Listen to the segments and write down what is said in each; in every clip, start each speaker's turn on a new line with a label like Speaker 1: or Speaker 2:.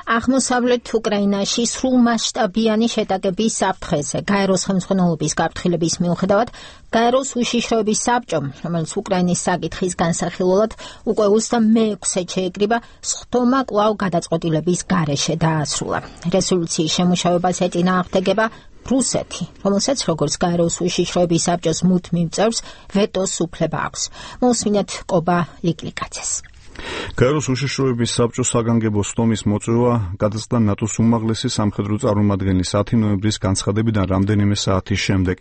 Speaker 1: აღმოსავლეთ უკრაინაში სრულმასშტაბიანი შეტაკების საფრთხეზე გაეროს ხელმძღვანელობის გაფრთხილების მიუხედავად გაეროს უშიშროების საბჭომ, რომელიც უკრაინის საკითხის განსახილველად უკვე 26-ე შეიკრიბა, სხდომა კვლავ გადაწყვეტილების გარეშე დაასრულა. რეზოლუციის შემუშავებას ეწინააღმდეგება რუსეთი, რომელსაც როგორც გაეროს უშიშროების საბჭოს მუდმივ წევრს ვეტოს უფლება აქვს. მოусმინეთ კობა ლიკლიკაძეს.
Speaker 2: გაეროს უშიშროების საბჭოს საგანგებო სხდომის მოწვევა გადაწყდა ნატოს უმაღლესი სამხედრო წარმომადგენლის 10 ნოემბრის განცხადებიდან რამდენიმე საათის შემდეგ.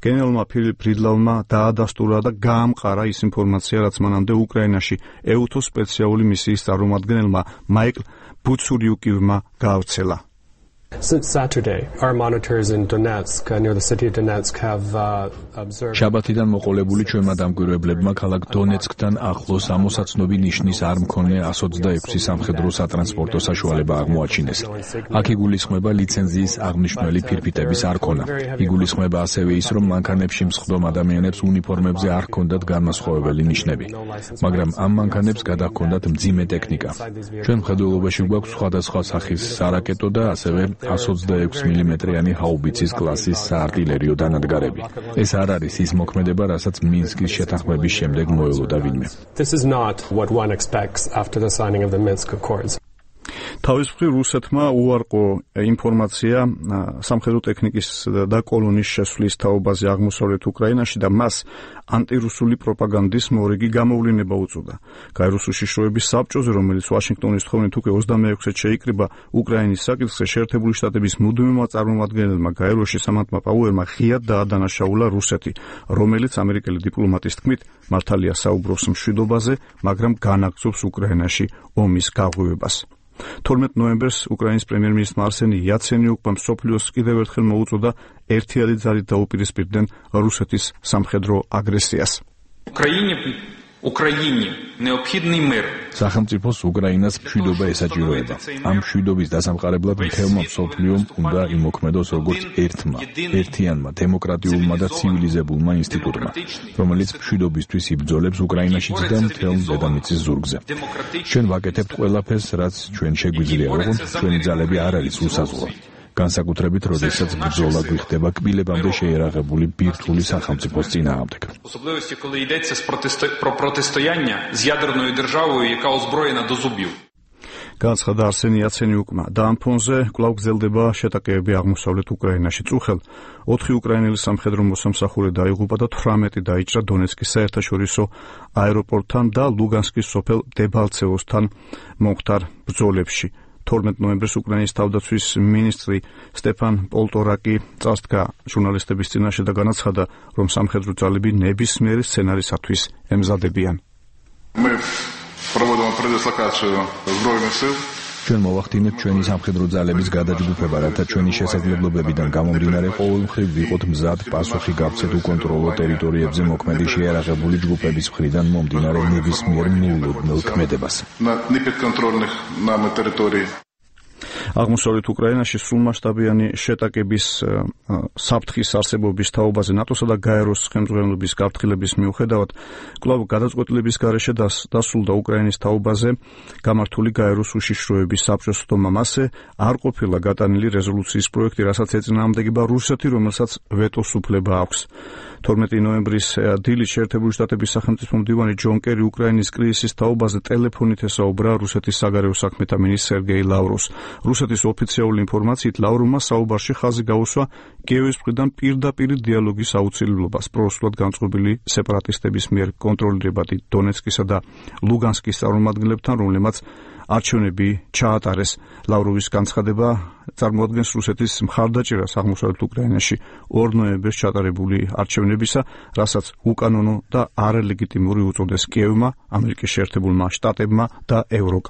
Speaker 2: გენერალმა ფილიპ ფრიდლავმა დაადასტურა და გაამყარა ის ინფორმაცია, რაც მანამდე უკრაინაში EUTO სპეციალური მისიის წარმომადგენელმა მაიკლ ბუცურიუკივმა გაავრცელა.
Speaker 3: Since Saturday, our monitors in Donetsk, near the city of Donetsk, have observed.
Speaker 4: შაბათიდან მოყოლებული ჩვენმა დამკვირვებლებმა ქალაქ დონეცკთან ახლოს ამოსაცნობი ნიშნის არ მქონე 126 სამხედრო სატრანსპორტო საშუალება აღმოაჩინეს. აქ იგულისხმება ლიცენზიის აღნიშნული ფირფიტების არ ქონა. იგულისხმება ასევე ის, რომ მანქანებში მსხდომ ადამიანებს უნიფორმებზე არ ჰქონდათ განმასხვავებელი ნიშნები, მაგრამ ამ მანქანებს გადაჰქონდათ მძიმე ტექნიკა. ჩვენ მხედველობაში გვაქვს სხვადასხვა სახის სარაკეტო და ასევე 126 მმ-იანი ჰაუბიცის კლასის საარტილერიო დანადგარები. ეს არ არის ის მოქმედება, რასაც მინსკის შეთანხმების შემდეგ მოელოდა ვინმე.
Speaker 3: This is not what one expects after the signing of the Minsk Accords.
Speaker 2: თავის მხრივ რუსეთმა უარყო ინფორმაცია სამხედრო ტექნიკის და კოლონის შესვლის თაობაზე აღმოსავლეთ უკრაინაში და მას ანტირუსული პროპაგანდის მორიგი გამოვლინება უწოდა. გაეროს უშიშროების საბჭოზე, რომელიც ვაშინგტონის თხოვნით უკვე 26-ე შეიკრიბა, უკრაინის საკითხზე შეერთებული შტატების მუდმივმა წარმომადგენელმა გაეროში სამანტმა პაუერმა ღიად დაადანაშაულა რუსეთი, რომელიც ამერიკელი დიპლომატის თქმით მართალია საუბრობს მშვიდობაზე, მაგრამ განაგრძობს უკრაინაში ომის გაღვივებას. 12 ნოემბერს უკრაინის პრემიერ-მინისტრმა არსენი იაცენიუკმა მსოფლიოს კიდევ ერთხელ მოუწოდა ერთიანი ძალით დაუპირისპირდნენ რუსეთის სამხედრო აგრესიას.
Speaker 4: სახელმწიფოს უკრაინას მშვიდობა ესაჭიროება. ამ მშვიდობის დასამყარებლად მთელმა მსოფლიომ უნდა იმოქმედოს როგორც ერთიანმა, დემოკრატიულმა და ცივილიზებულმა ინსტიტუტმა, რომელიც მშვიდობისთვის იბრძოლებს უკრაინაშიც და მთელ დედამიწის ზურგზე. ჩვენ ვაკეთებთ ყველაფერს, რაც ჩვენ შეგვიძლია, ოღონდ ჩვენი ძალები არ არის უსაზღვრო. განსაკუთრებით, როდესაც ბრძოლა გვიხდება კბილებამდე შეერაღებული ბირთვული სახელმწიფოს წინააღმდეგ.
Speaker 2: განაცხადა არსენი იაცენიუკმა და ამ ფონზე კვლავ გრძელდება შეტაკებები აღმოსავლეთ უკრაინაში. წუხელ 4 უკრაინელი სამხედრო მოსამსახურე დაიღუპა და 18 დაიჭრა დონეცკის საერთაშორისო აეროპორტთან და ლუგანსკის სოფელ დებალცევოსთან მომხდარ ბრძოლებში. 12 ნოემბერს უკრაინის თავდაცვის მინისტრი სტეფან პოლტორაკი წასდგა ჟურნალისტების წინაშე და განაცხადა, რომ სამხედრო ძალები ნებისმიერი სცენარისათვის ემზადებიან.
Speaker 4: ჩვენ მოვახდინებთ ჩვენი სამხედრო ძალების გადაჯგუფება, რათა ჩვენი შესაძლებლობებიდან გამომდინარე ყოველმხრივ ვიყოთ მზად პასუხი გავცეთ უკონტროლო ტერიტორიებზე მოქმედი შეიარაღებული ჯგუფების მხრიდან მომდინარე ნებისმიერ მოულოდნელ ქმედებას.
Speaker 2: აღმოსავლეთ უკრაინაში სრულმასშტაბიანი შეტაკების საფრთხის არსებობის თაობაზე ნატოსა და გაეროს ხელმძღვანელობის გაფრთხილების მიუხედავად კვლავ გადაწყვეტილების გარეშე დასრულდა უკრაინის თაობაზე გამართული გაეროს უშიშროების საბჭოს სხდომა. მასზე არ ყოფილა გატანილი რეზოლუციის პროექტი, რასაც ეწინააღმდეგება რუსეთი, რომელსაც ვეტოს უფლება აქვს. 12 ნოემბრის დილით შეერთებული შტატების სახელმწიფო მდივანი ჯონ კერი უკრაინის კრიზისის თაობაზე ტელეფონით ესაუბრა რუსეთის საგარეო საქმეთა მინისტრ სერგეი ლავროვს. რუსეთის ოფიციალური ინფორმაციით ლავროვმა საუბარში ხაზი გაუსვა კიევის მხრიდან პირდაპირ დიალოგის აუცილებლობას პრორუსულად განწყობილი სეპარატისტების მიერ კონტროლირებადი დონეცკისა და ლუგანსკის წარმომადგენლებთან, რომლებმაც არჩევნები ჩაატარეს. ლავროვის განცხადება წარმოადგენს რუსეთის მხარდაჭერას აღმოსავლეთ უკრაინაში 2 ნოემბერს ჩატარებული არჩევნებისა, რასაც უკანონო და არალეგიტიმური უწოდეს კიევმა, ამერიკის შეერთებულმა შტატებმა და ევროკავშირმა.